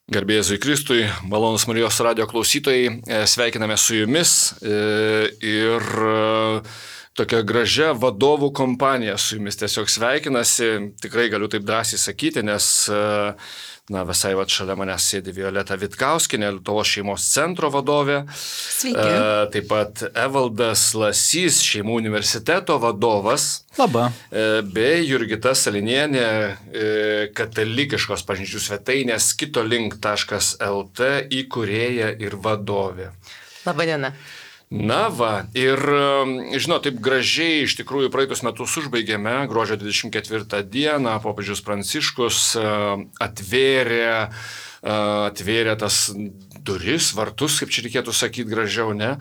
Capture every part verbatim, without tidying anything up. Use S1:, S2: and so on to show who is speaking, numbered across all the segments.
S1: Garbė Jėzui Kristui, malonus Marijos radijo klausytojai, sveikiname su jumis ir tokia gražia vadovų kompanija su jumis tiesiog sveikinasi, tikrai galiu taip drąsiai sakyti, nes na, visai va šalia manęs sėdi Violeta Vitkauskienė, Lietuvos šeimos centro vadovė.
S2: Sveiki.
S1: E, taip pat Evaldas Lasys, Šeimų universiteto vadovas.
S3: Labą.
S1: E, bei Jurgita Salinienė, e, katalikiškos pažinčių svetainės kitolink taškas lt įkūrėja ir vadovė.
S2: Labadiena.
S1: Na va, ir žinot, taip gražiai iš tikrųjų praeitus metus užbaigėme, gruodžio dvidešimt ketvirtą dieną popiežius Pranciškus atvėrė, atvėrė tas duris, vartus, kaip čia reikėtų sakyti gražiau, ne,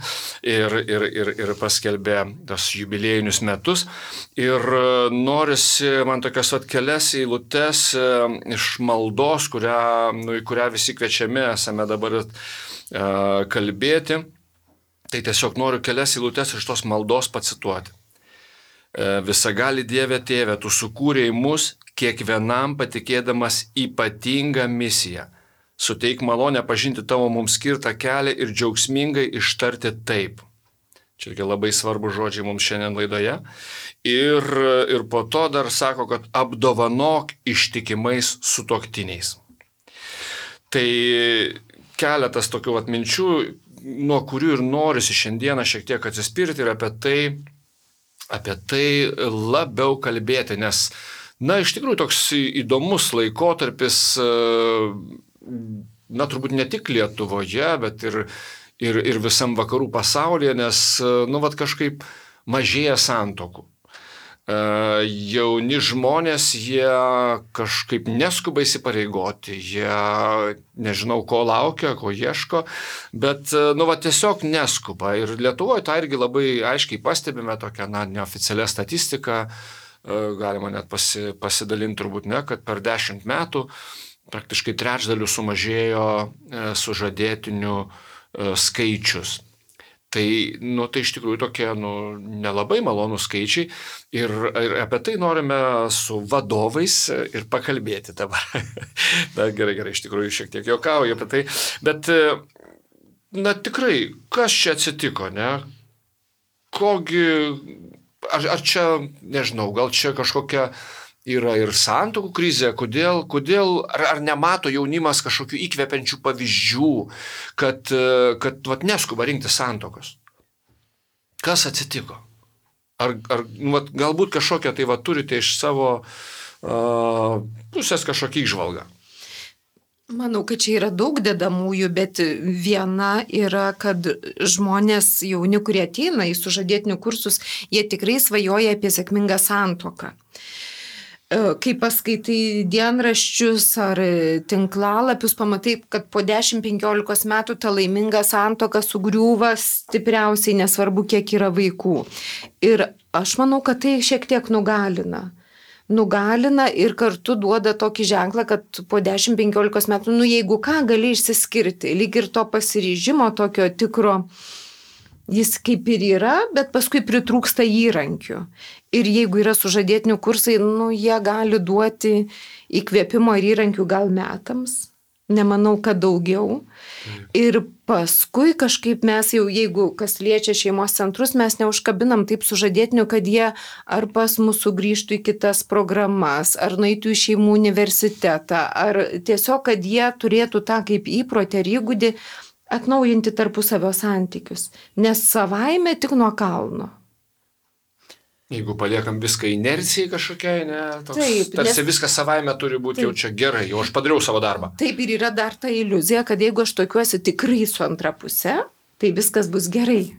S1: ir, ir, ir, ir paskelbė tas jubiliejinius metus. Ir norisi man tokias vat kelias eilutes iš maldos, kurią, nu, į kurią visi kviečiami esame dabar kalbėti. Tai tiesiog noriu kelias eilutes iš tos maldos pacituoti. Visagali Dieve Tėve, Tu sukūrei mus kiekvienam patikėdamas ypatingą misiją. Suteik malonę pažinti Tavo mums skirtą kelią ir džiaugsmingai ištarti taip. Čia labai svarbu žodžiai mums šiandien laidoje. Ir, ir po to dar sako, kad apdovanok ištikimais sutuoktiniais. Tai keletas tokių vat minčių, nuo kurių ir norisi šiandieną šiek tiek atsispirti ir apie tai, apie tai labiau kalbėti, nes, na, iš tikrųjų toks įdomus laikotarpis, na, turbūt ne tik Lietuvoje, bet ir, ir, ir visam vakarų pasaulyje, nes, nu, vat kažkaip mažėja santuokų. Jauni žmonės, jie kažkaip neskuba įsipareigoti, jie nežinau, ko laukia, ko ieško, bet, nu, va, tiesiog neskuba. Ir Lietuvoje tą irgi labai aiškiai pastebime, tokią, na, neoficialią statistiką, galima net pasi, pasidalinti turbūt ne, kad per dešimt metų praktiškai trečdalių sumažėjo sužadėtinių skaičius. Tai, nu, tai iš tikrųjų tokie, nu, nelabai malonų skaičiai ir, ir apie tai norime su vadovais ir pakalbėti dabar. Na, gerai, gerai, iš tikrųjų šiek tiek juokauju apie tai, bet, na, tikrai, kas čia atsitiko, ne? Kogi, ar, ar čia, nežinau, gal čia kažkokia yra ir santuokų krizė, kodėl, kodėl ar, ar nemato jaunimas kažkokių įkvepiančių pavyzdžių, kad, kad vat, neskuba rinkti santuokos. Kas atsitiko? Ar, ar vat, galbūt kažkokią tai vat, turite iš savo uh, pusės kažkokį įžvalgą?
S2: Manau, kad čia yra daug dedamųjų, bet viena yra, kad žmonės jauni, kurie ateina į sužadėtinių kursus, jie tikrai svajoja apie sėkmingą santuoką. Kai paskaitai dienraščius ar tinklalapius, pamatai, kad po dešimt penkiolikos metų ta laiminga santuoka sugriūva stipriausiai, nesvarbu, kiek yra vaikų. Ir aš manau, kad tai šiek tiek nugalina. Nugalina ir kartu duoda tokį ženklą, kad po dešimt penkiolikos metų, nu jeigu ką, gali išsiskirti. Lyg ir to pasiryžimo, tokio tikro, jis kaip ir yra, bet paskui pritrūksta įrankių. Ir jeigu yra sužadėtinių kursai, nu, jie gali duoti įkvėpimo ir įrankių gal metams. Nemanau, kad daugiau. Ir paskui kažkaip mes jau, jeigu kas liečia šeimos centrus, mes neužkabinam taip sužadėtinių, kad jie ar pas mus sugrįžtų į kitas programas, ar nueitų į šeimų universitetą, ar tiesiog, kad jie turėtų tą kaip įprotį ar įgūdį atnaujinti tarpusavio santykius. Nes savaime tik nuo kalno.
S1: Jeigu paliekam viską inercijai kažkokiai, ne, toks,
S2: taip,
S1: tarsi
S2: nes,
S1: viskas savaime turi būti taip, jau čia gerai, jau aš padariau savo darbą.
S2: Taip, ir yra dar ta iliuzija, kad jeigu aš tokiuosi tikrai su antra pusė, tai viskas bus gerai.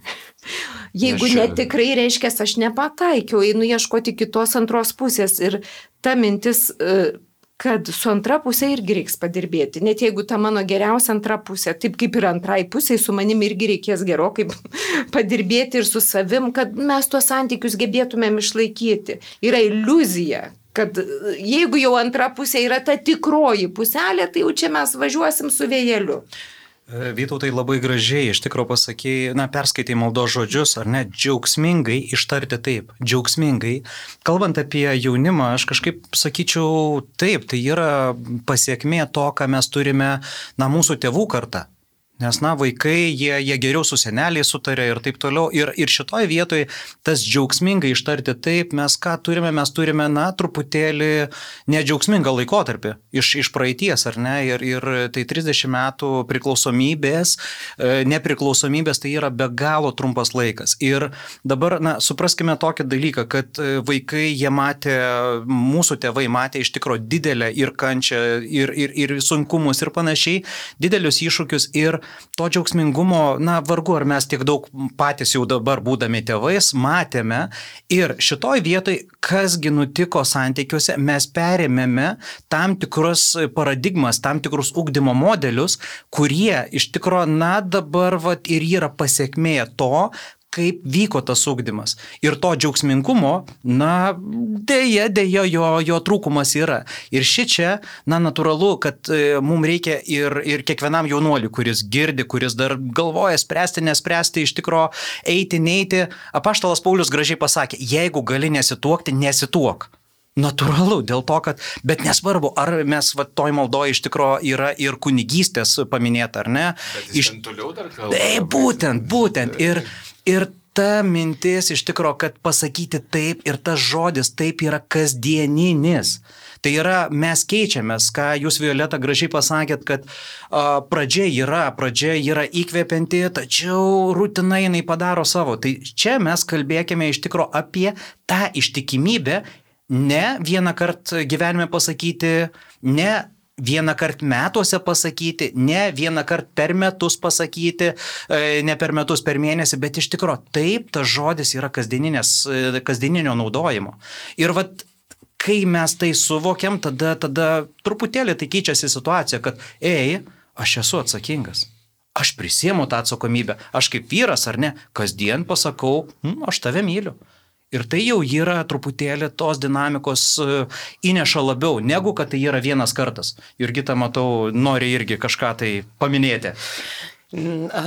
S2: Jeigu
S1: čia...
S2: netikrai, reiškia, aš nepataikiau, einu ieškoti kitos antros pusės ir ta mintis, kad su antra pusė irgi reiks padirbėti. Net jeigu ta mano geriausia antra pusė, taip kaip ir antrai pusė, su manim irgi reikės gerokai padirbėti ir su savim, kad mes tuos santykius gebėtumėm išlaikyti. Yra iliuzija, kad jeigu jau antra pusė yra ta tikroji puselė, tai jau čia mes važiuosim su vėjeliu.
S3: Vytautai, labai gražiai iš tikrųjų pasakėjai, na, perskaitai maldos žodžius, ar ne, džiaugsmingai ištarti taip, džiaugsmingai. Kalbant apie jaunimą, aš kažkaip sakyčiau taip, tai yra pasiekmė to, ką mes turime, na, mūsų tėvų kartą. Nes, na, vaikai, jie, jie geriau su seneliai sutarė ir taip toliau. Ir, ir šitoje vietoje tas džiaugsmingai ištarti taip, mes ką turime, mes turime, na, truputėlį nedžiaugsmingą laikotarpį iš, iš praeities, ar ne? Ir, ir tai trisdešimt metų priklausomybės, nepriklausomybės, tai yra be galo trumpas laikas. Ir dabar, na, supraskime tokį dalyką, kad vaikai, jie matė, mūsų tėvai matė iš tikrųjų didelę ir kančią, ir, ir, ir sunkumus, ir panašiai, didelius iššūkius. Ir to džiaugsmingumo, na, vargu ar mes tiek daug patys jau dabar būdami tėvais matėme. Ir šitoj vietoj, kasgi nutiko santykiuose, mes perėmėme tam tikrus paradigmas, tam tikrus ugdymo modelius, kurie iš tikro, na, dabar vat, ir yra pasiekmė to, kaip vyko tas ugdymas. Ir to džiaugsmingumo, na, dėja, dėja, jo, jo trūkumas yra. Ir šičia, na, natūralu, kad e, mums reikia ir, ir kiekvienam jaunuoliui, kuris girdi, kuris dar galvoja spręsti, nespręsti, iš tikro eiti, neiti. Apaštalas Paulius gražiai pasakė, jeigu gali nesituokti, nesituok. Natūralu, dėl to, kad, bet nesvarbu, ar mes va, toj maldoje iš tikro yra ir kunigystės paminėta, ar ne.
S1: Bet jis iš... ten toliau dar kalba.
S3: Tai būtent, būtent. Ir, ir ta mintis iš tikro, kad pasakyti taip ir tas žodis taip yra kasdieninis. Tai yra, mes keičiamės, ką jūs, Violeta, gražiai pasakėt, kad a, pradžia yra, pradžia yra įkvepianti, tačiau rutina jinai padaro savo. Tai čia mes kalbėkime iš tikro apie tą ištikimybę, ne vieną kartą gyvenime pasakyti, ne vieną kartą metuose pasakyti, ne vieną kartą per metus pasakyti, ne per metus per mėnesį, bet iš tikro taip, tas žodis yra kasdieninio naudojimo. Ir vat, kai mes tai suvokiam, tada, tada truputėlį tai keičiasi situacija, kad ei, aš esu atsakingas. Aš prisiemu tą atsakomybę. Aš kaip vyras ar ne, kasdien pasakau, hm, aš tave myliu. Ir tai jau yra truputėlį tos dinamikos įneša labiau, negu kad tai yra vienas kartas. Jurgita, matau, nori irgi kažką tai paminėti.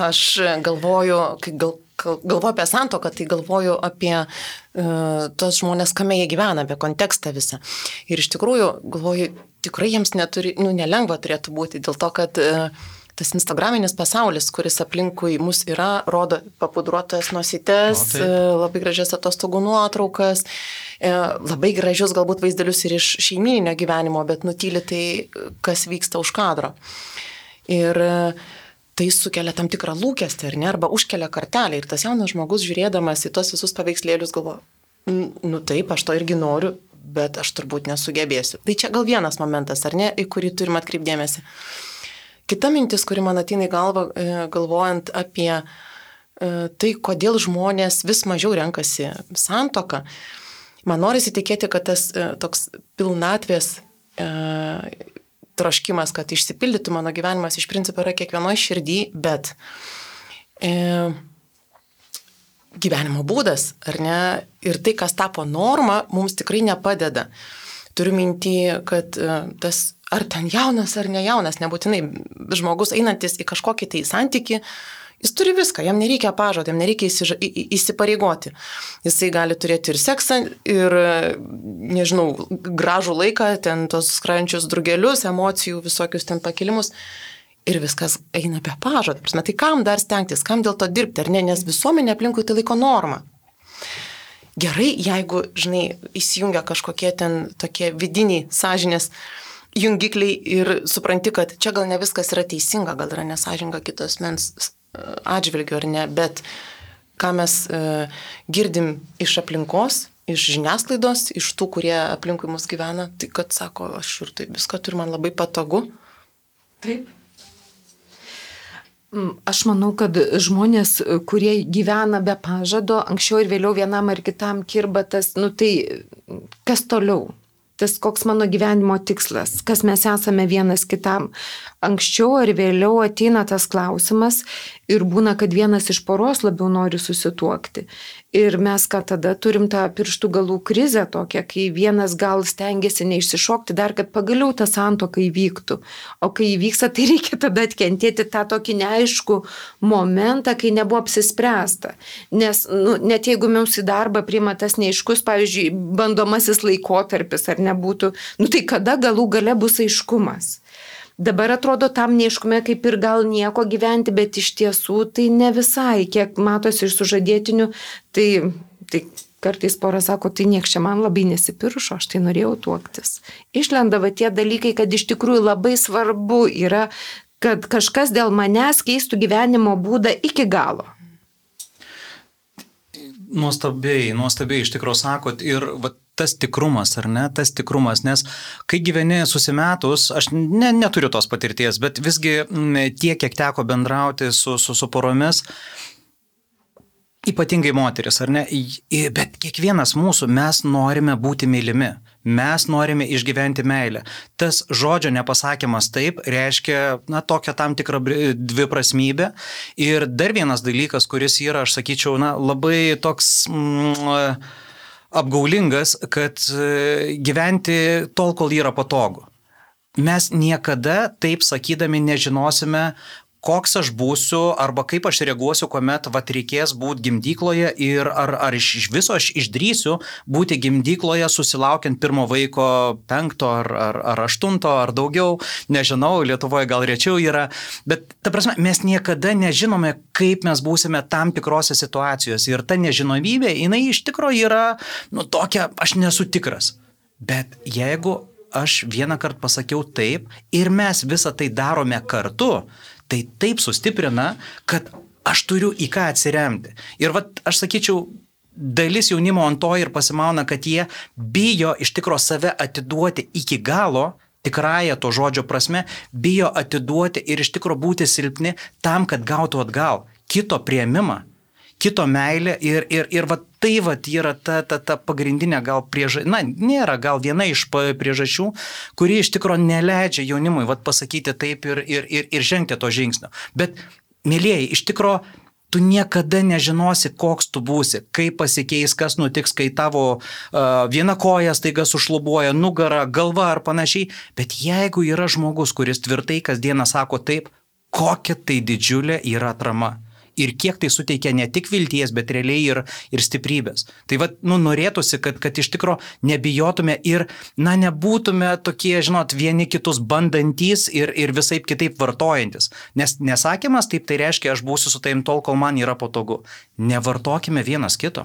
S4: Aš galvoju, kai gal, galvoju apie santuoką, tai galvoju apie uh, tos žmonės, kame jie gyvena, apie kontekstą visą. Ir iš tikrųjų, galvoju, tikrai jiems neturi, nu, nelengva turėtų būti, dėl to, kad uh, tas instagraminis pasaulis, kuris aplinkui mus yra, rodo papudruotas nosytes, o, labai gražias atostogų nuotraukas, labai gražius galbūt vaizdelius ir iš šeimyninio gyvenimo, bet nutyli tai, kas vyksta už kadro. Ir tai sukelia tam tikrą lūkestį, ar ne, arba užkelia kartelę. Ir tas jaunas žmogus, žiūrėdamas į tos visus paveikslėlius, galvoja, nu taip, aš to irgi noriu, bet aš turbūt nesugebėsiu. Tai čia gal vienas momentas, ar ne, į kurį turim atkreipdėmėsi. Kita mintis, kuri man ateina į galvą, galvojant apie tai, kodėl žmonės vis mažiau renkasi santuoką, man norisi tikėti, kad tas toks pilnatvės e, troškimas, kad išsipildytų mano gyvenimas, iš principo yra kiekvienoje širdį, bet e, gyvenimo būdas, ar ne, ir tai, kas tapo norma, mums tikrai nepadeda. Turiu mintį, kad tas ar ten jaunas, ar ne jaunas, nebūtinai žmogus einantis į kažkokį tai santykį, jis turi viską, jam nereikia pažado, jam nereikia įsiža, į, įsipareigoti. Jisai gali turėti ir seksą, ir, nežinau, gražų laiką, ten tos skrajančius drugelius, emocijų, visokius ten pakilimus. Ir viskas eina be pažado. Tai kam dar stengtis, kam dėl to dirbti, ar ne, nes visuomenė aplinkui tai laiko normą. Gerai, jeigu, žinai, įsijungia kažkokie ten tokie vidiniai sąžinės jungikliai ir supranti, kad čia gal ne viskas yra teisinga, gal yra nesažinga kitos mens atžvilgių ar ne, bet ką mes uh, girdim iš aplinkos, iš žiniasklaidos, iš tų, kurie aplinkui mus gyvena, tai kad sako, aš ir tai viską turiu, man labai patogu.
S2: Taip. Aš manau, kad žmonės, kurie gyvena be pažado, anksčiau ir vėliau vienam ar kitam kirba tas, nu tai kas toliau? Tas koks mano gyvenimo tikslas, kas mes esame vienas kitam. Anksčiau ar vėliau ateina tas klausimas ir būna, kad vienas iš poros labiau nori susituokti. Ir mes ką tada turim tą pirštų galų krizę tokią, kai vienas gal stengiasi neišsišokti dar, kad pagaliau ta santuoka įvyktų. O kai įvyksta, tai reikia tada atkentėti tą tokį neaiškų momentą, kai nebuvo apsispręsta. Nes nu, net jeigu mums į darbą priima tas neaiškus, pavyzdžiui, bandomasis laikotarpis ar nebūtų, nu tai kada galų gale bus aiškumas. Dabar atrodo tam neiškume kaip ir gal nieko gyventi, bet iš tiesų tai ne visai, kiek matosi iš sužadėtinių, tai, tai kartais pora sako, tai nieks čia man labai nesipiršo, aš tai norėjau tuoktis. Išlendava tie dalykai, kad iš tikrųjų labai svarbu yra, kad kažkas dėl manęs keistų gyvenimo būdą iki galo.
S3: Nuostabiai, nuostabiai iš tikrųjų sakot ir va, tas tikrumas, ar ne, tas tikrumas, nes kai gyveni susimetus, aš ne, neturiu tos patirties, bet visgi tiek, kiek teko bendrauti su, su, su poromis, ypatingai moteris, ar ne, bet kiekvienas mūsų mes norime būti mylimi. Mes norime išgyventi meilę. Tas žodžio nepasakymas taip reiškia, na, tokią tam tikrą dviprasmybę. Ir dar vienas dalykas, kuris yra, aš sakyčiau, na, labai toks mm, apgaulingas, kad gyventi tol, kol yra patogu. Mes niekada taip sakydami nežinosime, koks aš būsiu arba kaip aš reaguosiu, kuomet vat, reikės būti gimdykloje ir ar, ar iš viso aš išdrysiu būti gimdykloje susilaukiant pirmo vaiko penkto ar, ar, ar aštunto ar daugiau, nežinau, Lietuvoje gal rečiau yra, bet ta prasme, mes niekada nežinome, kaip mes būsime tam tikrose situacijose ir ta nežinomybė, jinai iš tikrųjų yra, nu, tokia, aš nesu tikras, bet jeigu aš vieną kartą pasakiau taip ir mes visą tai darome kartu, tai taip sustiprina, kad aš turiu į ką atsiremti. Ir vat, aš sakyčiau, dalis jaunimo ant to ir pasimauna, kad jie bijo iš tikro save atiduoti iki galo, tikrąją to žodžio prasme, bijo atiduoti ir iš tikro būti silpni tam, kad gautų atgal kito priėmimą, kito meilę ir, ir, ir vat, tai vat, yra ta, ta, ta pagrindinė gal priežastis, na, nėra gal viena iš priežasčių, kuri iš tikro neleidžia jaunimui vat, pasakyti taip ir, ir, ir, ir žengti to žingsnio. Bet, mėlieji, iš tikro, tu niekada nežinosi, koks tu būsi, kaip pasikeis, kas nutiks, kai tavo uh, viena koja staiga sušlubuoja, nugara, galva ar panašiai. Bet jeigu yra žmogus, kuris tvirtai kasdieną sako taip, kokia tai didžiulė yra atrama. Ir kiek tai suteikia ne tik vilties, bet realiai ir, ir stiprybės. Tai va, nu, norėtųsi, kad, kad iš tikro nebijotume ir, na, nebūtume tokie, žinot, vieni kitus bandantys ir, ir visaip kitaip vartojantis. Nes nesakymas taip tai reiškia, aš būsiu su taim tol, kol man yra patogu. Nevartokime vienas kito.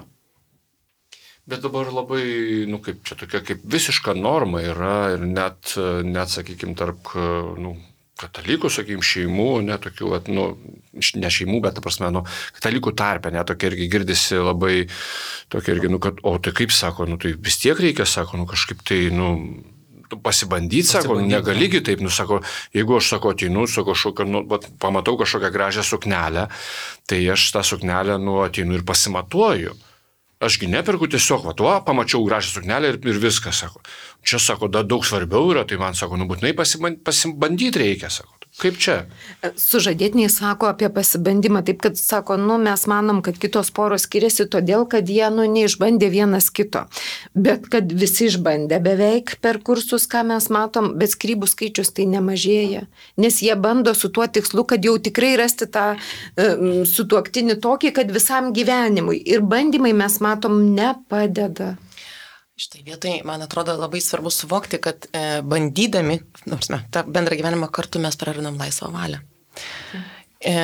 S1: Bet dabar labai, nu, kaip čia tokia, kaip visiška norma yra ir net, net sakykime, tarp, nu, katalikų, sakykime, šeimų, netokių, nu, ne šeimų, bet, ta prasme, nu, katalikų tarpe, netokia irgi girdisi labai, tokia irgi, nu, kad, o tai kaip sako, nu, tai vis tiek reikia, sako, nu, kažkaip tai, nu, pasibandyti, sako, nu, negaligi taip, nu, sako, jeigu aš, sako, ateinu, sako, šoka, nu, bet pamatau kažkokią gražią suknelę, tai aš tą suknelę, nu, ateinu ir pasimatuoju. Ašgi neperku tiesiog, va, tuo, pamačiau gražią suknelę ir, ir viskas, sako. Čia, sako, da, daug svarbiau yra, tai man, sako, nu, būtinai pasibandyti reikia, sako. Kaip čia?
S2: Sužadėtiniai sako apie pasibandymą, taip kad sako, nu, mes manom, kad kitos poros skiriasi todėl, kad jie, nu, neišbandė vienas kito. Bet kad visi išbandė beveik per kursus, ką mes matom, bet skyrybų skaičius tai nemažėja. Nes jie bando su tuo tikslu, kad jau tikrai rasti tą um, sutuoktinį tokį, kad visam gyvenimui. Ir bandymai mes matom nepadeda.
S4: Štai vietai, man atrodo, labai svarbu suvokti, kad e, bandydami, nors mes tą bendrą gyvenimą kartu mes prarandam laisvą valią. E,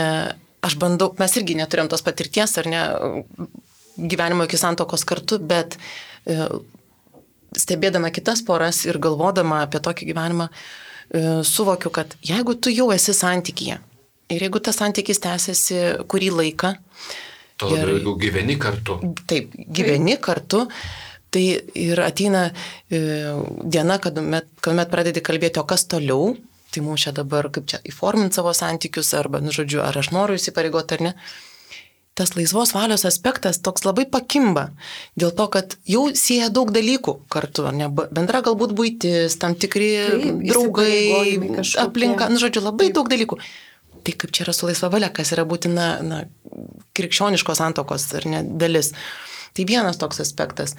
S4: aš bandau, mes irgi neturėjom tos patirties, ar ne, gyvenimo iki santokos kartu, bet e, stebėdama kitas poras ir galvodama apie tokį gyvenimą, e, suvokiu, kad jeigu tu jau esi santykyje ir jeigu tas santykis tęsiasi kurį laiką,
S1: to labiau, jeigu gyveni kartu.
S4: Taip, gyveni kartu. Tai ir ateina e, diena, kad met, kuomet pradedi kalbėti, o kas toliau, tai mums čia dabar kaip čia įforminti savo santykius, arba, nu, žodžiu, ar aš noriu įsipareigoti ar ne. Tas laisvos valios aspektas toks labai pakimba, dėl to, kad jau sieja daug dalykų kartu, ne, bendra galbūt buitis, tam tikri Taip, draugai, aplinka, nu, žodžiu, labai Taip. Daug dalykų. tai kaip čia yra su laisva valia, kas yra būtina na, krikščioniškos santuokos ar ne dalis. Tai vienas toks aspektas.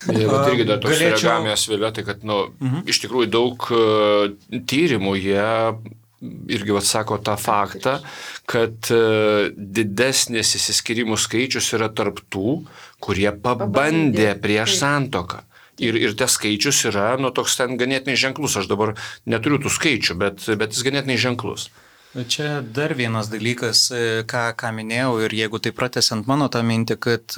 S1: Jeigu tai irgi dar toks
S3: Galėčiau...
S1: reagamės vėliau, tai kad nu,
S3: Mhm.
S1: iš tikrųjų daug uh, tyrimų jie irgi atsako tą faktą, kad uh, didesnis įsiskyrimų skaičius yra tarp tų, kurie pabandė
S2: Pabandė,
S1: prieš
S2: taip.
S1: santuoką. Ir, ir tas skaičius yra, nu, toks ten ganėtinai ženklus. Aš dabar neturiu tų skaičių, bet, bet jis ganėtinai ženklus.
S3: Čia dar vienas dalykas, ką, ką minėjau, ir jeigu tai pratęsiant mano tą mintį, kad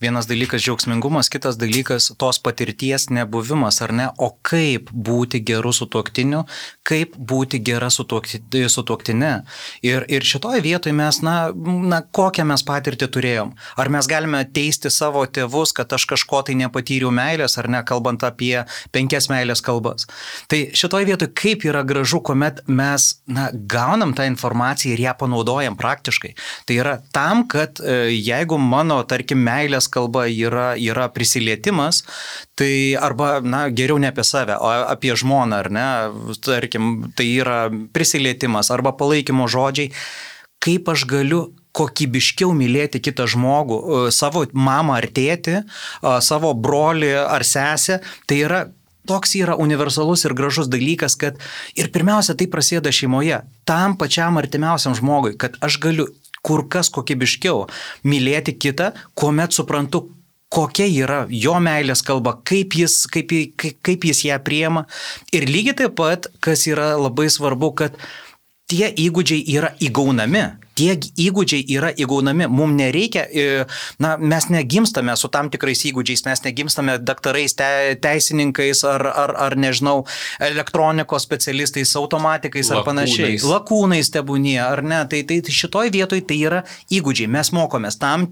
S3: vienas dalykas džiaugsmingumas, kitas dalykas tos patirties nebuvimas, ar ne, o kaip būti geru sutuoktiniu, kaip būti gera sutuoktinė. Ir, ir šitoje vietoje mes, na, na, kokią mes patirtį turėjom. Ar mes galime teisti savo tėvus, kad aš kažko tai nepatyriau meilės, ar ne, kalbant apie penkias meilės kalbas. Tai šitoje vietoje kaip yra gražu, kuomet mes, na, gauname tą informaciją ir ją panaudojam praktiškai. Tai yra tam, kad jeigu mano, tarkim, meilės kalba yra, yra prisilietimas, tai arba, na, geriau ne apie save, o apie žmoną, ar ne, tarkim, tai yra prisilietimas arba palaikymo žodžiai, kaip aš galiu kokybiškiau mylėti kitą žmogų, savo mamą ar tėtį, savo brolį ar sesę, tai yra toks yra universalus ir gražus dalykas, kad ir pirmiausia tai prasideda šeimoje, tam pačiam artimiausiam žmogui, kad aš galiu kur kas kokybiškiau mylėti kitą, kuomet suprantu, kokia yra jo meilės kalba, kaip jis, kaip, kaip jis ją priema. Ir lygiai taip pat, kas yra labai svarbu, kad tie įgūdžiai yra įgaunami. Tie įgūdžiai yra įgaunami. Mums nereikia, na, mes negimstame su tam tikrais įgūdžiais, mes negimstame daktarais, te, teisininkais ar, ar, ar, nežinau, elektronikos specialistais, automatikais ar panašiai. Lakūnais tebūnie, ar ne. Tai, tai šitoj vietoj tai yra įgūdžiai. Mes mokomės tam,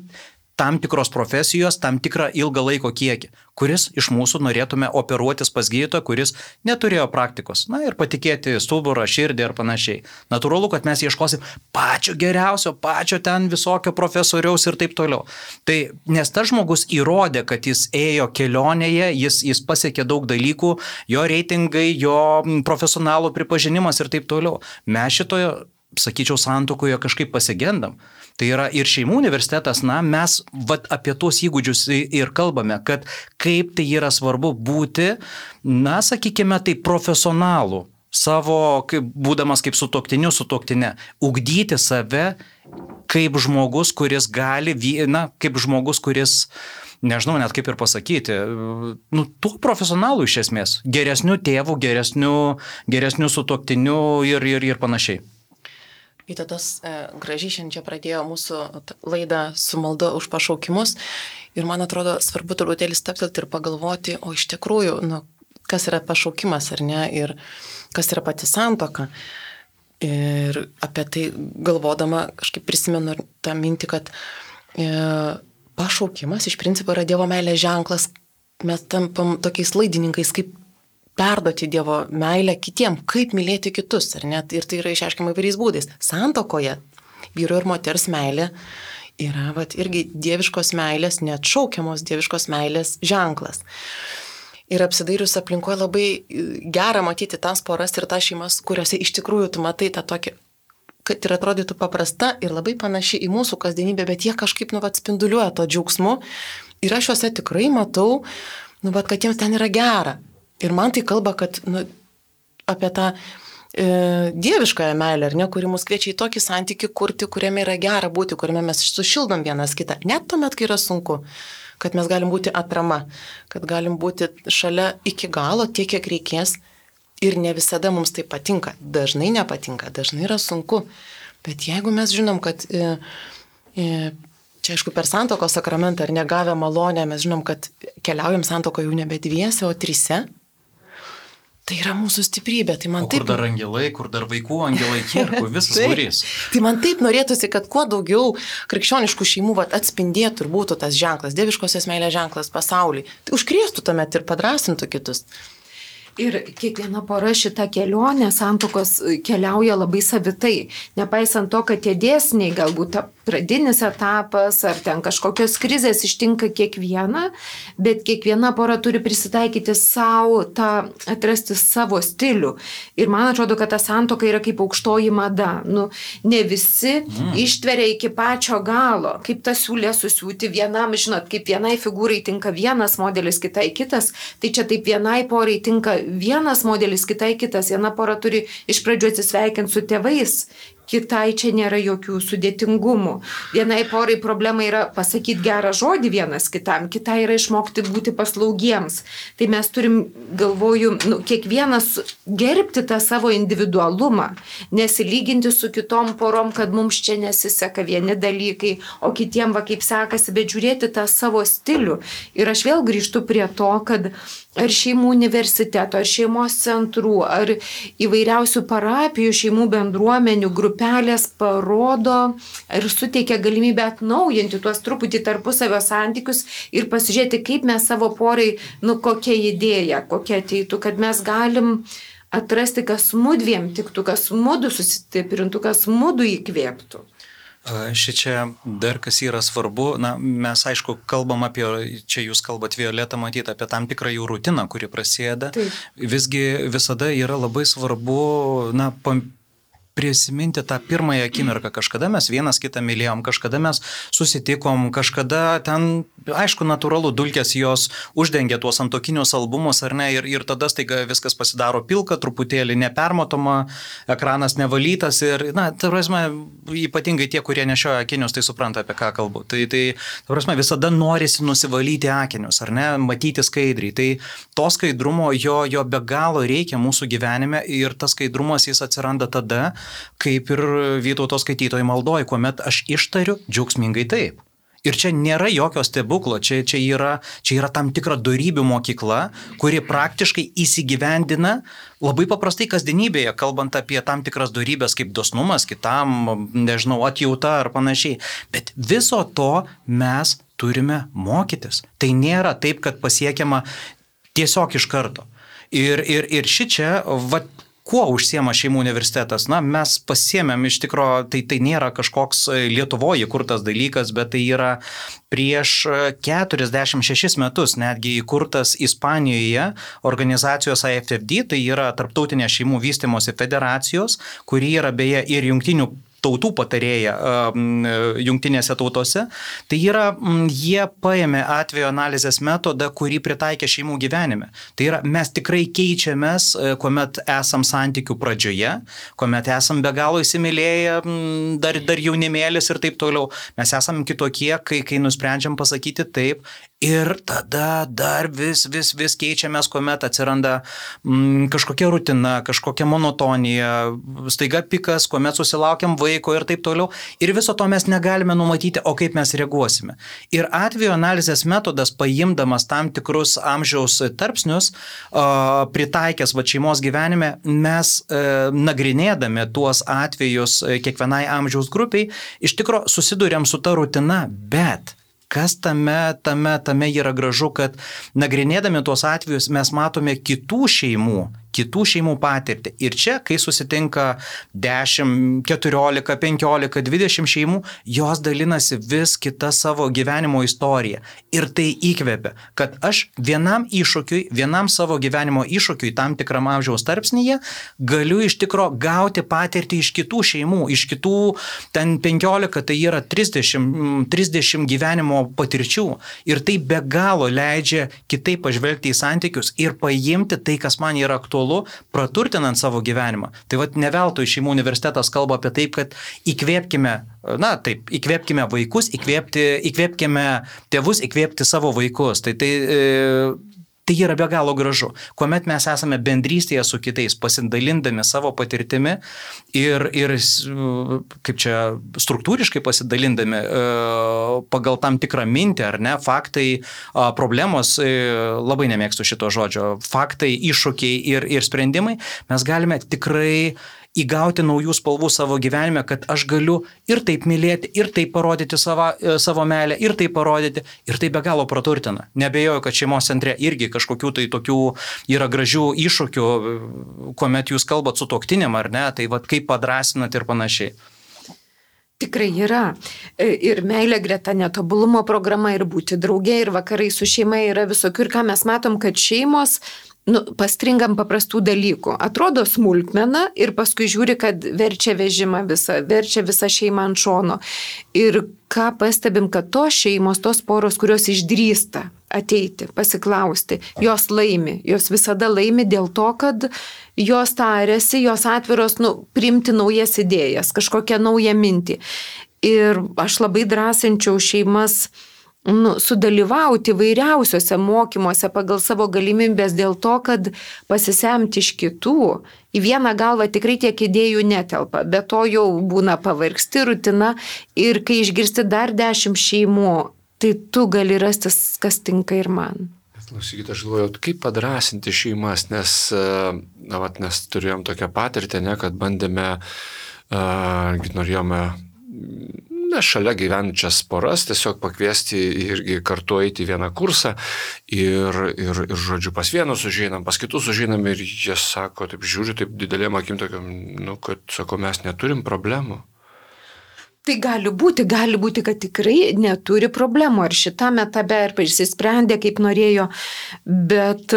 S3: tam tikros profesijos, tam tikrą ilgą laiko kiekį, kuris iš mūsų norėtume operuotis pas gydytoją, kuris neturėjo praktikos. Na ir patikėti stuburą, širdį ir panašiai. Natūralu, kad mes ieškosim pačio geriausio, pačio ten visokio profesoriaus ir taip toliau. Tai nes tas žmogus įrodė, kad jis ėjo kelionėje, jis, jis pasiekė daug dalykų, jo reitingai, jo profesionalų pripažinimas ir taip toliau. Mes šitoje, sakyčiau, santuokoje kažkaip pasigendam. Tai yra ir šeimų universitetas, na, mes vat, apie tuos įgūdžius ir kalbame, kad kaip tai yra svarbu būti, na, sakykime, tai profesionalų, savo, kaip, būdamas kaip sutuoktiniu, sutuoktinė, ugdyti save kaip žmogus, kuris gali, na, kaip žmogus, kuris, nežinau net kaip ir pasakyti, nu, tuo profesionalu iš esmės, geresniu tėvu, geresniu, geresniu sutuoktiniu ir, ir, ir panašiai.
S4: Vytautas e, gražiai šiandien čia pradėjo mūsų laidą su malda už pašaukimus ir man atrodo svarbu truputėlį stabtelti ir pagalvoti, o iš tikrųjų, nu, kas yra pašaukimas ar ne ir kas yra pati santuoka. Ir apie tai galvodama kažkaip prisimenu tą mintį, kad e, pašaukimas iš principo yra Dievo meilės ženklas, mes tampam tokiais laidininkais, kaip perduoti Dievo meilę kitiem, kaip mylėti kitus, ar ne? Ir tai yra išaiškinama įvairiais būdais. Santuokoje vyro ir moters meilė yra vat, irgi dieviškos meilės, neatšaukiamos dieviškos meilės ženklas. Ir apsidairius aplinkoje labai gera matyti tas poras ir tas šeimas, kuriuose iš tikrųjų tu matai tą tokį, kad ir atrodytų paprasta ir labai panaši į mūsų kasdienybę, bet jie kažkaip nu, vat, spinduliuoja to džiaugsmu. Ir aš juose tikrai matau, nu, vat, kad jiems ten yra gera. Ir man tai kalba, kad nu, apie tą e, dieviškąją meilę, ar ne, kuri mus kviečia į tokį santykį kurti, kuriame yra gera būti, kuriame mes sušildom vienas kitą. Net tuomet, kai yra sunku, kad mes galim būti atrama, kad galim būti šalia iki galo tiek, kiek reikės. Ir ne visada mums tai patinka. Dažnai nepatinka, dažnai yra sunku. Bet jeigu mes žinom, kad e, e, čia aišku per santuokos sakramentą ar negavę malonę, mes žinom, kad keliaujam santuokoje jau nebe dviese, o trise. Tai yra mūsų stiprybė. Tai man
S3: o kur
S4: taip...
S3: dar angelai, kur dar vaikų angelai kirkų, visas būrys.
S4: Tai man taip norėtųsi, kad kuo daugiau krikščioniškų šeimų vat, atspindėtų ir būtų tas ženklas, dieviškosios meilės ženklas pasauliui. Tai užkrėstų tuomet ir padrasintų kitus.
S2: Ir kiekviena pora šitą kelionę santuokos keliauja labai savitai. Nepaisant to, kad tie dėsniai galbūt pradinis etapas, ar ten kažkokios krizės ištinka kiekvieną, bet kiekviena pora turi prisitaikyti savo, tą, atrasti savo stilių. Ir man atrodo, kad ta santuoka yra kaip aukštoji mada. Nu, ne visi mm. ištveria iki pačio galo, kaip tą siūlę susiūti vienam, žinot, kaip vienai figūrai tinka vienas modelis, kitai kitas, tai čia taip vienai porai tinka vienas modelis, kitai kitas. Viena pora turi iš pradžių atsisveikinti su tėvais, kitai čia nėra jokių sudėtingumų. Vienai porai problema yra pasakyti gerą žodį vienas kitam, kitai yra išmokti būti paslaugiems. Tai mes turim, galvoju, nu, kiekvienas gerbti tą savo individualumą, nesilyginti su kitom porom, kad mums čia nesiseka vieni dalykai, o kitiem va kaip sekasi, bet žiūrėti tą savo stilių. Ir aš vėl grįžtu prie to, kad ar šeimų universiteto, ar šeimos centrų, ar įvairiausių parapijų, šeimų bendruomenių grupelės parodo ir suteikia galimybę atnaujinti tuos truputį tarpusavio santykius ir pasižiūrėti, kaip mes savo porai, nu kokia idėja, kokia ateitų, kad mes galim atrasti, kas mudviem tiktų, kas mudu susistiprintų, kas mudu įkvėptų.
S3: Šičia dar kas yra svarbu, na, mes aišku kalbam apie, čia jūs kalbat Violeta, matyti apie tam tikrą jų rutiną, kuri prasideda. Taip. Visgi visada yra labai svarbu, na, pam... prisiminti tą pirmąją akimirką. Kažkada mes vienas kitą mylėjom, kažkada mes susitikom, kažkada ten, aišku, natūralu, dulkės jos uždengia tuos antokinius albumus, ar ne, ir, ir tada staiga viskas pasidaro pilka, truputėlį nepermatoma, ekranas nevalytas ir, na, ta prasme, ypatingai tie, kurie nešioja akinius, tai supranta, apie ką kalbu. Tai, tai ta prasme, visada norisi nusivalyti akinius, ar ne, matyti skaidriai. Tai to skaidrumo jo, jo be galo reikia mūsų gyvenime ir tas skaidrumas jis atsiranda tada, kaip ir Vytauto skaitytojų maldoj, kuomet aš ištariu džiaugsmingai taip. Ir čia nėra jokio stebuklo, čia, čia, yra, čia yra tam tikra dorybių mokykla, kuri praktiškai įsigyvendina labai paprastai kasdienybėje, kalbant apie tam tikras dorybės kaip dosnumas, kitam, nežinau, atjauta ar panašiai. Bet viso to mes turime mokytis. Tai nėra taip, kad pasiekiama tiesiog iš karto. Ir, ir, ir šičia, va, kuo užsiema šeimų universitetas? Na, mes pasiėmėm iš tikro, tai, tai nėra kažkoks Lietuvoje įkurtas dalykas, bet tai yra prieš keturiasdešimt šešis metus netgi įkurtas Ispanijoje organizacijos I F F D, tai yra Tarptautinė šeimų vystymosi federacijos, kuri yra beje ir jungtinių tautų patarėja jungtinėse tautose. Tai yra, jie paėmė atvejo analizės metodą, kurį pritaikė šeimų gyvenime. Tai yra, mes tikrai keičiamės, kuomet esam santykių pradžioje, kuomet esam be galo įsimylėję, dar, dar jaunimėlis ir taip toliau. Mes esam kitokie, kai, kai nusprendžiam pasakyti taip. Ir tada dar vis, vis, vis keičiamės, kuomet atsiranda mm, kažkokia rutina, kažkokia monotonija, staiga pikas, kuomet susilaukiam vaiko ir taip toliau. Ir viso to mes negalime numatyti, o kaip mes reaguosime. Ir atvejo analizės metodas, paimdamas tam tikrus amžiaus tarpsnius, uh, pritaikęs va šeimos gyvenime, mes uh, nagrinėdami tuos atvejus uh, kiekvienai amžiaus grupiai, iš tikro susiduriam su ta rutina, bet kas tame, tame, tame yra gražu, kad nagrinėdami tuos atvejus mes matome kitų šeimų, kitų šeimų patirtį. Ir čia, kai susitinka dešimt, keturiolika, penkiolika, dvidešimt šeimų, jos dalinasi vis kitą savo gyvenimo istoriją. Ir tai įkvepia, kad aš vienam iššūkiui, vienam savo gyvenimo iššūkiui tam tikram amžiaus tarpsnyje galiu iš tikro gauti patirtį iš kitų šeimų, iš kitų ten penkiolika, tai yra trisdešimt, trisdešimt gyvenimo patirčių. Ir tai be galo leidžia kitaip pažvelgti į santykius ir paimti tai, kas man yra aktualu, praturtinant savo gyvenimą. Tai vat ne veltui šeimų universitetas kalba apie taip, kad įkvėpkime, na taip, įkvėpkime vaikus, įkvėpti, įkvėpkime tėvus, įkvėpti savo vaikus. Tai, tai, tai yra be galo gražu. Kuomet mes esame bendrystėje su kitais, pasidalindami savo patirtimi ir, ir kaip čia, struktūriškai pasidalindami pagal tam tikrą mintį, ar ne, faktai, problemos, labai nemėgstu šito žodžio, faktai, iššūkiai ir, ir sprendimai, mes galime tikrai įgauti naujų spalvų savo gyvenime, kad aš galiu ir taip mylėti, ir taip parodyti savo, savo meilę, ir taip parodyti, ir tai be galo praturtina. Nebejoju, kad šeimos centre irgi kažkokių tai tokių yra gražių iššūkių, kuomet jūs kalbat su tuoktinėm, ar ne, tai vat kaip padrasinat ir panašiai.
S2: Tikrai yra. Ir meilė greta netobulumo programa, ir būti draugė, ir vakarai su šeima yra visokių. Ir ką mes matom, kad šeimos nu, pastringam paprastų dalykų. Atrodo smulkmena ir paskui žiūri, kad verčia vežimą visą, verčia visą šeimą ant šono. Ir ką pastebim, kad tos šeimos, tos poros, kurios išdrįsta ateiti, pasiklausti, jos laimi. Jos visada laimi dėl to, kad jos tarėsi, jos atviros nu, priimti naujas idėjas, kažkokią naują mintį. Ir aš labai drąsinčiau šeimas nu, sudalyvauti vairiausiuose mokymuose pagal savo galimybės dėl to, kad pasisemti iš kitų. Į vieną galvą tikrai tiek idėjų netelpa, bet to jau būna pavargsti rutina ir kai išgirsti dar dešimt šeimų, tai tu gali rasti, kas tinka ir man.
S1: Klausykite, aš galvoju, kaip padrasinti šeimas, nes na, vat, mes turėjom tokią patirtį, ne, kad bandėme, uh, norėjome na, šalia gyvenčias poras tiesiog pakviesti irgi kartu eiti į vieną kursą ir, ir, ir žodžiu, pas vienus užeinam, pas kitus užeinam ir jie sako, taip žiūri, taip didelėm akim tokiam, nu, kad, sako, mes neturim problemų.
S2: Tai gali būti, gali būti, kad tikrai neturi problemų, ar šitame etape, ar išsisprendė, kaip norėjo, bet...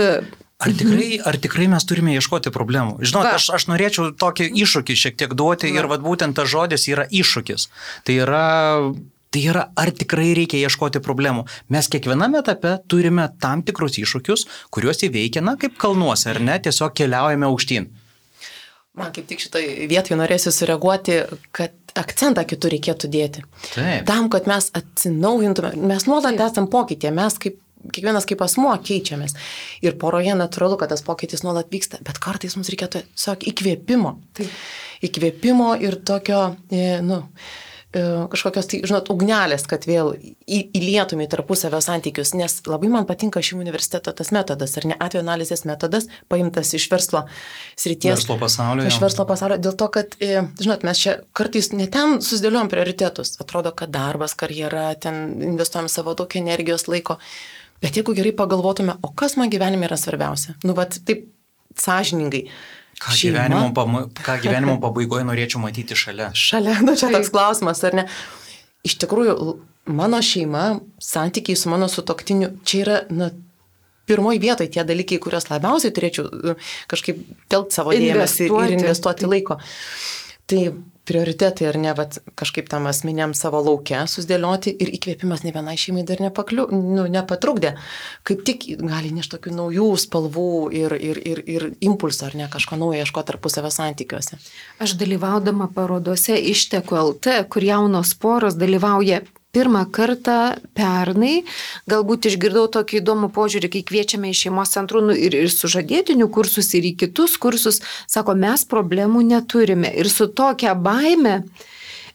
S3: Ar tikrai, ar tikrai mes turime ieškoti problemų? Žinot, aš, aš norėčiau tokį iššūkį šiek tiek duoti ir vat, būtent tas žodis yra iššūkis. Tai yra, tai yra, ar tikrai reikia ieškoti problemų. Mes kiekviename etape turime tam tikrus iššūkius, kuriuos įveikia, na, kaip kalnuose, ar ne, tiesiog keliaujame aukštyn.
S4: Man kaip tik šitoj vietoje norėsiu sureaguoti, kad akcentą kitur reikėtų dėti.
S3: Taip.
S4: Tam, kad mes atsinaujintume, mes nuolat esam pokytyje, mes kaip, kiekvienas kaip asmuo keičiamės. Ir poroje natūralu, kad tas pokytis nuolat vyksta, bet kartais mums reikėtų tiesiog įkvėpimo. Taip. Įkvėpimo ir tokio, nu, kažkokios, tai, žinot, ugnelės, kad vėl įlietume į tarpusavio santykius, nes labai man patinka šį universiteto tas metodas, ar ne atvejo analizės metodas, paimtas iš verslo srities.
S3: Verslo pasaulio.
S4: Iš verslo pasaulio, dėl to, kad, žinot, mes čia kartais ne ten susidėliojom prioritetus. Atrodo, kad darbas, karjera, ten investuojam savo daug energijos, laiko. Bet jeigu gerai pagalvotume, o kas man gyvenime yra svarbiausia? Nu, vat, taip sąžiningai.
S3: Ką gyvenimo, pama, ką gyvenimo pabaigoje norėčiau matyti šalia?
S4: Šalia, nu čia toks klausimas, ar ne? Iš tikrųjų, mano šeima, santykiai su mano sutuoktiniu, čia yra, na, pirmoji vietoje tie dalykai, kuriuos labiausiai turėčiau kažkaip telkti savo dėmesį ir investuoti laiko. Tai prioritetai, ar ne, vat, kažkaip tam asmeniam savo lauke susidėlioti ir įkvėpimas ne vienai šeimai dar nepakliu, nu, nepatrukdė. Kaip tik gali nešti tokių naujų spalvų ir, ir, ir, ir impulsų, ar ne, kažko naujo ieškoti tarpusavio santykiuose.
S2: Aš dalyvaudama parodose Išteku L T, kur jaunos poros dalyvauja pirmą kartą pernai, galbūt išgirdau tokį įdomų požiūrį, kai kviečiame į šeimos centrų nu, ir, ir sužadėtinių kursus, ir į kitus kursus, sako, mes problemų neturime. Ir su tokia baime,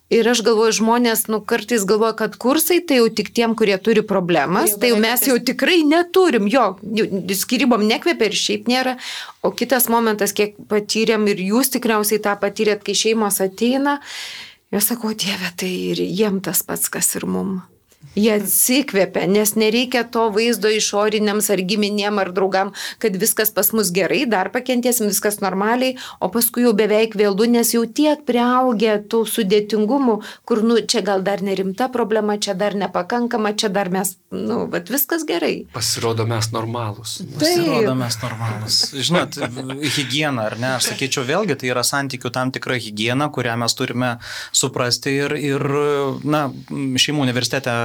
S2: ir aš galvoju, žmonės nu, kartais galvoja, kad kursai tai jau tik tiem, kurie turi problemas, tai jau mes jau tikrai neturim, jo, skyrybom nekvepia ir šiaip nėra. O kitas momentas, kiek patyrėm ir jūs tikriausiai tą patyrėt, kai šeimos ateina, jos sako, Dieve, tai ir jiem tas pats, kas ir mum. Jie atsikvėpia, nes nereikia to vaizdo išoriniams ar giminėm ar draugam, kad viskas pas mus gerai, dar pakentėsim, viskas normaliai, o paskui jau beveik vėlu, nes jau tiek priaugę tų sudėtingumų, kur, nu, čia gal dar nerimta problema, čia dar nepakankama, čia dar mes, nu, bet viskas gerai.
S1: Pasirodo mes normalūs.
S3: Pasirodo mes normalūs. Žinot, higiena, ar ne, aš sakyčiau, vėlgi tai yra santykių tam tikra higiena, kurią mes turime suprasti ir, ir na, šeimų universitete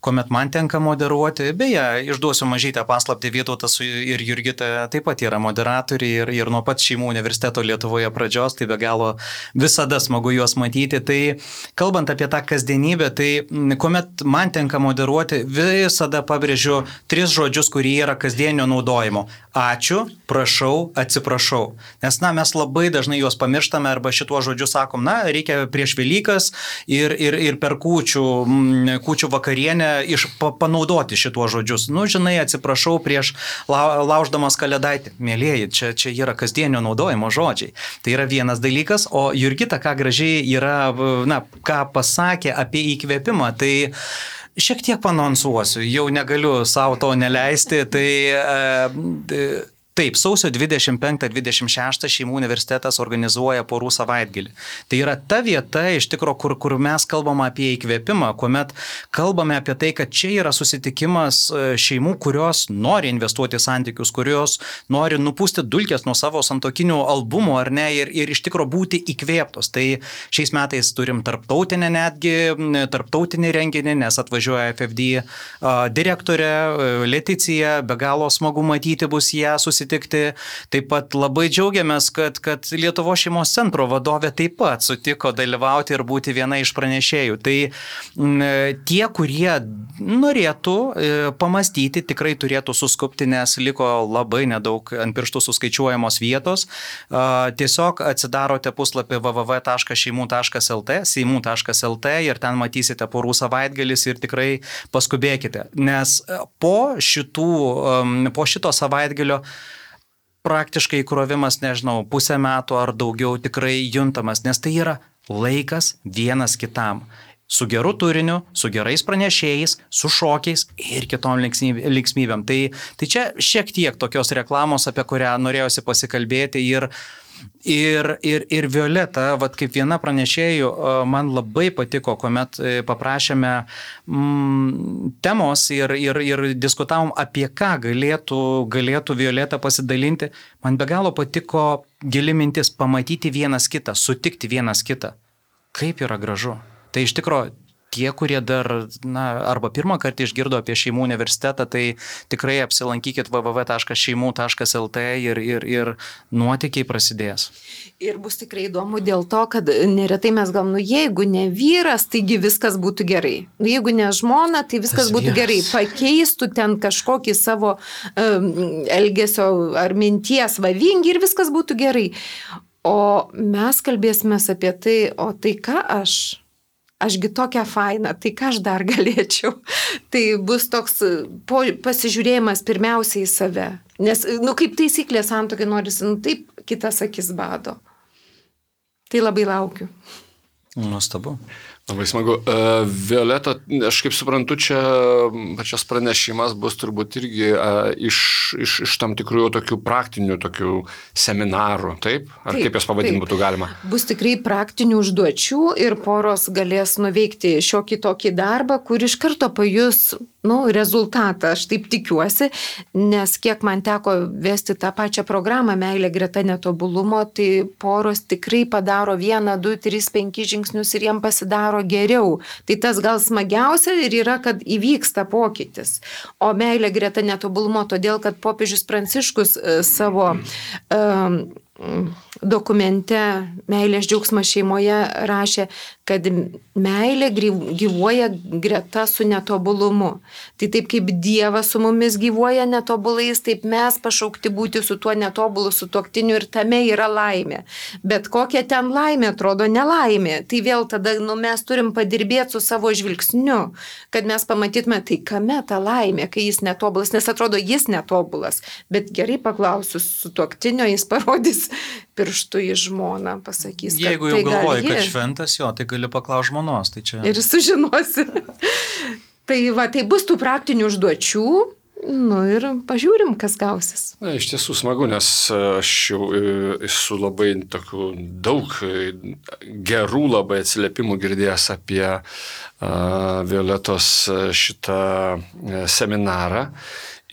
S3: kuomet man tenka moderuoti. Beje, išduosiu mažytę paslaptį, Vytautas ir Jurgita taip pat yra moderatoriai ir, ir nuo pat šeimų universiteto Lietuvoje pradžios, tai be galo visada smagu juos matyti. Tai kalbant apie tą kasdienybę, tai kuomet man tenka moderuoti, visada pabrėžiu tris žodžius, kurie yra kasdienio naudojimo. Ačiū, prašau, atsiprašau. Nes, na, mes labai dažnai juos pamirštame arba šituo žodžiu sakom, na, reikia prieš Velykas ir, ir, ir per kūčių, kūčių vakarienę iš, pa, panaudoti šituos žodžius. Nu, žinai, atsiprašau prieš lau, lauždamas kalėdaitį. Mėlėjai, čia, čia yra kasdienio naudojimo žodžiai. Tai yra vienas dalykas, o Jurgita, ką gražiai yra, na, ką pasakė apie įkvėpimą, tai šiek tiek panonsuosiu, jau negaliu savo to neleisti, tai e, Taip, sausio dvidešimt penktą dvidešimt šeštą Šeimų universitetas organizuoja porų savaitgalį. Tai yra ta vieta, iš tikrųjų, kur, kur mes kalbame apie įkvėpimą, kuomet kalbame apie tai, kad čia yra susitikimas šeimų, kurios nori investuoti į santykius, kurios nori nupūsti dulkės nuo savo santokinių albumų, ar ne, ir, ir iš tikrųjų būti įkvėptos. Tai šiais metais turim tarptautinę netgi, tarptautinį renginį, nes atvažiuoja F F D direktorė Leticija, be galo smagu matyti bus ją susitikti. Taip pat labai džiaugiamės, kad, kad Lietuvos šeimos centro vadovė taip pat sutiko dalyvauti ir būti viena iš pranešėjų. Tai m, tie, kurie norėtų e, pamastyti, tikrai turėtų suskupti, nes liko labai nedaug ant pirštų suskaičiuojamos vietos. E, tiesiog atsidarote puslapį w w w taškas šeimų taškas l t, seimų taškas l t ir ten matysite porų savaitgalis ir tikrai paskubėkite. Nes po, šitų, po šito savaitgalio praktiškai įkrovimas, nežinau, pusę metų ar daugiau tikrai juntamas, nes tai yra laikas vienas kitam. Su geru turiniu, su gerais pranešėjais, su šokiais ir kitom linksmybėm. Tai, tai čia šiek tiek tokios reklamos, apie kurią norėjosi pasikalbėti ir Ir, ir, ir Violeta, vat kaip viena pranešėjų, man labai patiko, kuomet paprašėme mm, temos ir, ir, ir diskutavom, apie ką galėtų, galėtų Violeta pasidalinti. Man be galo patiko gili mintis pamatyti vienas kitą, sutikti vienas kitą. Kaip yra gražu. Tai iš tikrųjų, tie, kurie dar, na, arba pirmą kartą išgirdo apie Šeimų universitetą, tai tikrai apsilankykit w w w taškas šeimų taškas l t ir, ir, ir nuotykiai prasidės.
S2: Ir bus tikrai įdomu dėl to, kad neretai mes gal, nu jeigu ne vyras, taigi viskas būtų gerai. Jeigu ne žmona, tai viskas Tas būtų vyras. Gerai. Pakeistų ten kažkokį savo um, elgesio ar minties vavingi ir viskas būtų gerai. O mes kalbėsime apie tai, o tai ką aš... Ašgi tokia faina, tai ką aš dar galėčiau. Tai bus toks po, pasižiūrėjimas pirmiausiai į save. Nes, nu, kaip taisyklė santuokai norisi, nu, taip kitas akis bado. Tai labai laukiu.
S3: Nuostabu.
S1: Labai smagu. Uh, Violeta, aš kaip suprantu, čia pačias pranešimas bus turbūt irgi uh, iš, iš, iš tam tikrų tokių praktinių tokių seminarų, taip? Ar taip, kaip jas pavadinti būtų galima?
S2: Bus tikrai praktinių užduočių ir poros galės nuveikti šiokį tokį darbą, kur iš karto pajus, nu, rezultatą, aš taip tikiuosi, nes kiek man teko vesti tą pačią programą Meilė greta netobulumo, tai poros tikrai padaro vieną, du, tris, penkis žingsnius ir jiem pasidaro geriau. Tai tas gal smagiausia ir yra, kad įvyksta pokytis. O meilė greta netobulumo, todėl, kad popiežius Pranciškus savo um, dokumente Meilės džiaugsmas šeimoje rašė, kad meilė gyvuoja greta su netobulumu. Tai taip kaip Dievas su mumis gyvuoja netobulais, taip mes pašaukti būti su tuo netobulu sutuoktiniu ir tame yra laimė. Bet kokia ten laimė atrodo nelaimė. Tai vėl tada nu, mes turim padirbėti su savo žvilgsniu, kad mes pamatytume, tai kame ta laimė, kai jis netobulas, nes atrodo jis netobulas. Bet gerai paklausius sutuoktinio, jis parodys pirštų į žmoną, pasakys, kad
S3: jeigu jau tai galvoji, kad šventas jo, tai gali paklausti žmonos. Tai čia...
S2: Ir sužinosi. Tai va, tai bus tų praktinių užduočių, nu ir pažiūrim, kas gausis.
S1: Na, iš tiesų smagu, nes aš jau esu labai tokių daug gerų labai atsiliepimų girdėjęs apie uh, Violetos šitą seminarą.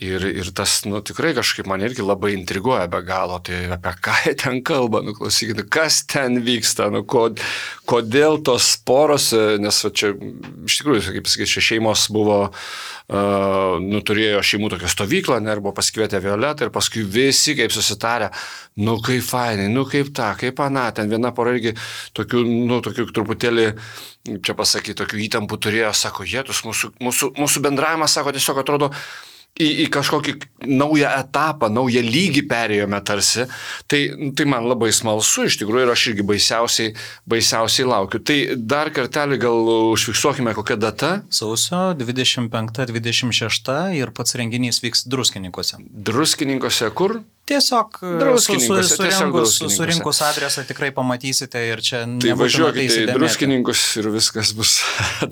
S1: Ir, ir tas, nu, tikrai kažkaip man irgi labai intriguoja be galo, tai apie ką jie ten kalba, nu, klausykite, kas ten vyksta, nu, kod, kodėl tos poros, nes va, čia, iš tikrųjų, kaip sakyti, šeimos buvo, uh, nu, turėjo šeimų tokią stovyklą, ne, ir buvo pasikvietę Violetą, ir paskui visi, kaip susitarę, nu, kaip fainai, nu, kaip ta, kaip ana, ten viena pora irgi tokių, nu, tokių truputėlį, čia pasakyti, tokių įtampų turėjo, sako, jėtus, mūsų, mūsų, mūsų bendravimas, sako, tiesiog atrodo, Į, į kažkokį naują etapą, naują lygį perėjome tarsi, tai, tai man labai smalsu iš tikrųjų ir aš irgi baisiausiai, baisiausiai laukiu. Tai dar kartelį gal užfiksuokime kokią datą.
S3: Sausio dvidešimt penktą dvidešimt šeštą ir pats renginys vyks Druskininkuose.
S1: Druskininkuose kur?
S3: Tiesiog
S1: Druskininkuose,
S3: su, su,
S1: tiesiog
S3: surinkus,
S1: druskininkuose.
S3: surinkus adresą tikrai pamatysite ir čia
S1: Tai
S3: nebūtina
S1: važiuokite į
S3: įsidėmėti.
S1: Druskininkus ir viskas bus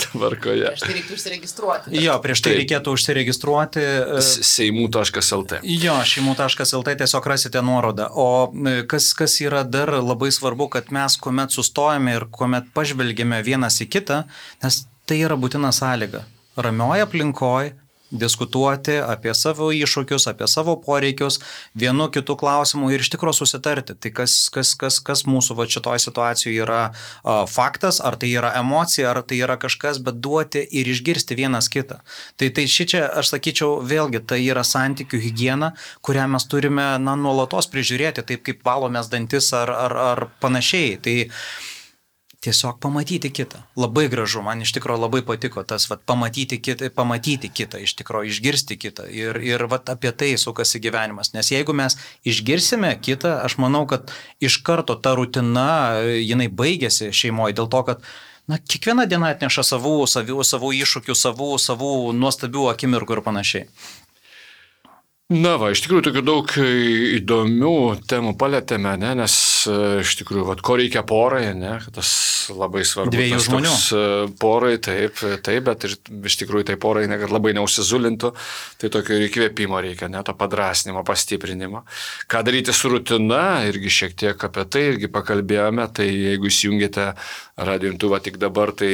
S1: tvarkoje.
S4: Prieš tai reiktų užsiregistruoti.
S3: Jo, prieš tai
S1: Taip.
S3: reikėtų užsiregistruoti.
S1: seimų taškas el te.
S3: Jo, šeimų taškas el te tiesiog rasite nuorodą. O kas, kas yra dar labai svarbu, kad mes kuomet sustojame ir kuomet pažvelgėme vienas į kitą, nes tai yra būtina sąlyga. Ramioje aplinkoje diskutuoti apie savo iššūkius, apie savo poreikius, vienu kitu klausimu ir iš tikrųjų susitarti. Tai kas, kas, kas, kas mūsų va šitoje situacijoje yra a, faktas, ar tai yra emocija, ar tai yra kažkas, bet duoti ir išgirsti vienas kitą. Tai, tai šičia, aš sakyčiau, vėlgi, tai yra santykių higiena, kurią mes turime na, nuolatos prižiūrėti, taip kaip valomės dantis ar, ar, ar panašiai. Tai tiesiog pamatyti kitą. Labai gražu, man iš tikrųjų labai patiko tas, vat, pamatyti kitą, pamatyti kitą, iš tikrųjų išgirsti kitą. Ir, ir vat, apie tai sukasi gyvenimas. Nes jeigu mes išgirsime kitą, aš manau, kad iš karto ta rutina, jinai baigėsi šeimoje dėl to, kad na, kiekviena diena atneša savų, savų, savų iššūkių, savų, savų nuostabių akimirkų ir panašiai.
S1: Na va, iš tikrųjų tokių daug įdomių temų palėtėme, ne, nes iš tikrųjų, vat, ko reikia porai, ne, tas labai svarbu.
S3: Dviejų
S1: tas
S3: žmonių.
S1: toks, porai, taip, taip, bet ir iš tikrųjų tai porai, ne, kad labai neužsizulintų, tai tokio ir įkvėpimo reikia, ne, to padrasnimo, pastiprinimo. Ką daryti su rutina, irgi šiek tiek apie tai irgi pakalbėjome, tai jeigu įsijungite radijo imtuvą tik dabar, tai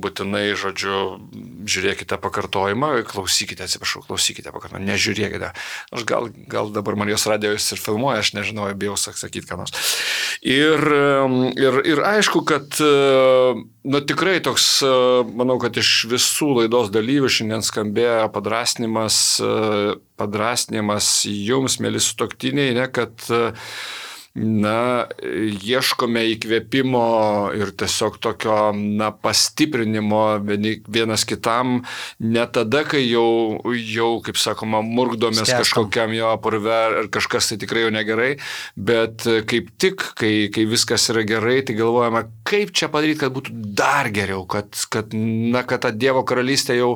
S1: būtinai, žodžiu, žiūrėkite pakartojimą, klausykite, atsiprašau, klausykite pakartojimą, nežiūrėkite. Aš gal, gal dabar Marijos radijos ir filmuoja, aš nežinau, bijau sakyti, ką nors. Ir, ir, ir aišku, kad nu, tikrai toks, manau, kad iš visų laidos dalyvių šiandien skambėjo padrasnimas, padrasnimas jums, mėly sutuoktiniai, ne, kad na, ieškome įkvėpimo ir tiesiog tokio, na, pastiprinimo vienas kitam, ne tada, kai jau, jau kaip sakoma, murkdomės
S3: Skęstam.
S1: kažkokiam jo purve ar kažkas tai tikrai jau negerai, bet kaip tik, kai, kai viskas yra gerai, tai galvojame, kaip čia padaryti, kad būtų dar geriau, kad, kad, na, kad tą Dievo karalystę jau,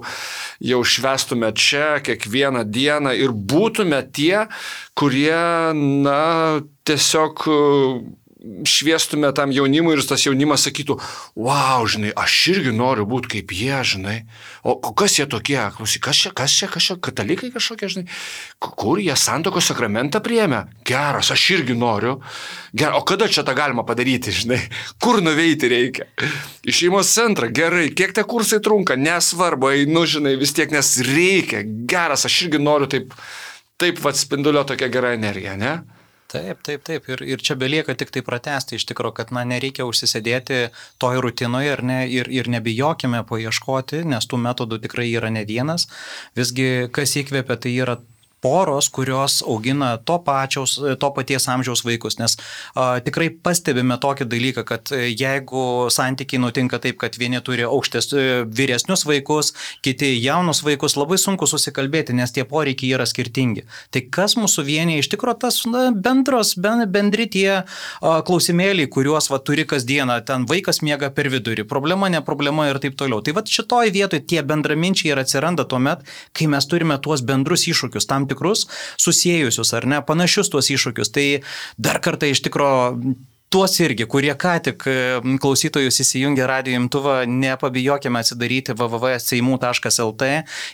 S1: jau švęstume čia kiekvieną dieną ir būtume tie, kurie, na, tiesiog šviestume tam jaunimui ir tas jaunimas sakytų, wow, žinai, aš irgi noriu būti kaip jie, žinai. O kas jie tokie, klausyk, kas čia, kas čia, kas čia, katalikai kažkokie, žinai, kur jie santokos sakramentą priėmė? Geras, aš irgi noriu. Geras, o kada čia tą galima padaryti, žinai, kur nuveiti reikia? Į šeimos centrą, gerai, kiek tie kursai trunka, nesvarbu, einu, žinai, vis tiek, nes reikia. Geras, aš irgi noriu taip, taip vat spindulio tokia gera energija, ne?
S3: Taip, taip, taip. Ir, ir čia belieka tik tai pratesti iš tikrųjų, kad na, nereikia užsisėdėti toj rutinoje ir, ne, ir, ir nebijokime paieškoti, nes tų metodų tikrai yra ne vienas. Visgi, kas įkvėpia, tai yra poros, kurios augina to, pačiaus, to paties amžiaus vaikus, nes a, tikrai pastebime tokį dalyką, kad jeigu santykiai nutinka taip, kad vieni turi aukštės vyresnius vaikus, kiti jaunus vaikus, labai sunku susikalbėti, nes tie poreikiai yra skirtingi. Tai kas mūsų vienyje iš tikrųjų tas na, bendros, bendri tie a, klausimėliai, kuriuos va, turi kasdieną, ten vaikas miega per vidurį, problema, ne problema ir taip toliau. Tai va šitoj vietoj tie bendraminčiai ir atsiranda tuomet, kai mes turime tuos bendrus iššūkius, tam tikrus susiejusius ar ne, panašius tuos iššūkius. Tai dar kartą iš tikro tuos irgi, kurie ką tik klausytojus įsijungia radijo imtuvą, nepabijokime atsidaryti w w w taškas seimų taškas el te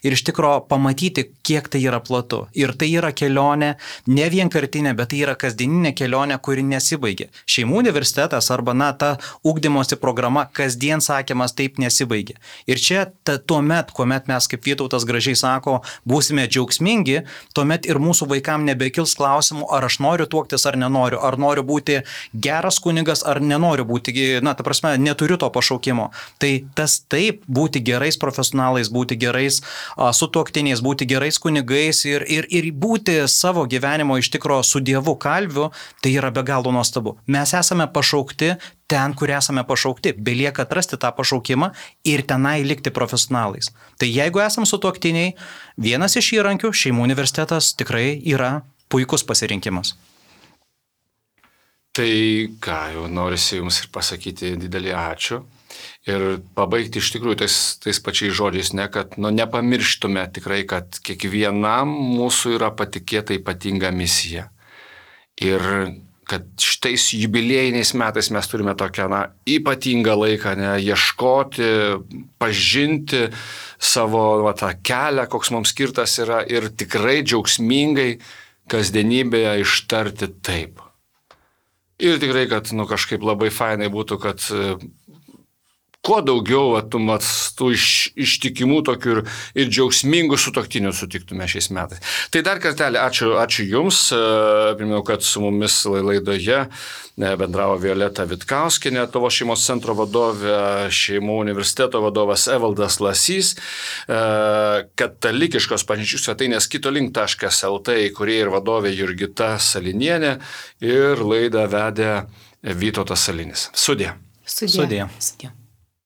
S3: ir iš tikro pamatyti, kiek tai yra platu. Ir tai yra kelionė, ne vienkartinė, bet tai yra kasdieninė kelionė, kuri nesibaigia. Šeimų universitetas arba na, ta ugdymosi programa kasdien sakymas taip nesibaigia. Ir čia ta, tuomet, kuomet mes, kaip Vytautas gražiai sako, būsime džiaugsmingi, tuomet ir mūsų vaikam nebekils klausimų, ar aš noriu tuoktis ar nenoriu, ar noriu būti geras kunigas ar nenoriu būti, na, ta prasme, neturiu to pašaukimo. Tai tas taip, būti gerais profesionalais, būti gerais a, sutuoktiniais, būti gerais kunigais ir, ir, ir būti savo gyvenimo iš tikro su Dievu kalviu, tai yra be galo nuostabu. Mes esame pašaukti ten, kur esame pašaukti. Belieka atrasti tą pašaukimą ir tenai likti profesionalais. Tai jeigu esame sutuoktiniai, vienas iš įrankių, šeimų universitetas tikrai yra puikus pasirinkimas.
S1: Tai ką, jau norisi jums ir pasakyti didelį ačiū ir pabaigti iš tikrųjų tais, tais pačiais žodžiais, ne, kad nu, nepamirštume tikrai, kad kiekvienam mūsų yra patikėta ypatinga misija. Ir kad šitais jubiliejiniais metais mes turime tokią na, ypatingą laiką, ne, ieškoti, pažinti savo va, tą kelią, koks mums skirtas yra ir tikrai džiaugsmingai kasdienybėje ištarti taip. Ir tikrai, kad nu, kažkaip labai fainai būtų, kad kuo daugiau va, tu, mat, tų iš, ištikimų tokių ir, ir džiaugsmingų sutuoktinių sutiktume šiais metais. Tai dar kartelį ačiū, ačiū Jums. Priminau, kad su mumis laidoje bendravo Violeta Vitkauskinė, Lietuvos šeimos centro vadovė, Šeimų universiteto vadovas Evaldas Lasys, katalikiškos bažnyčių svetainės kitolink taškas lt įkūrėja ir vadovė Jurgita Salinienė ir laidą vedė Vytautas Salinis. Sudie.
S2: Sudie.
S3: Sudie.
S4: Sudie.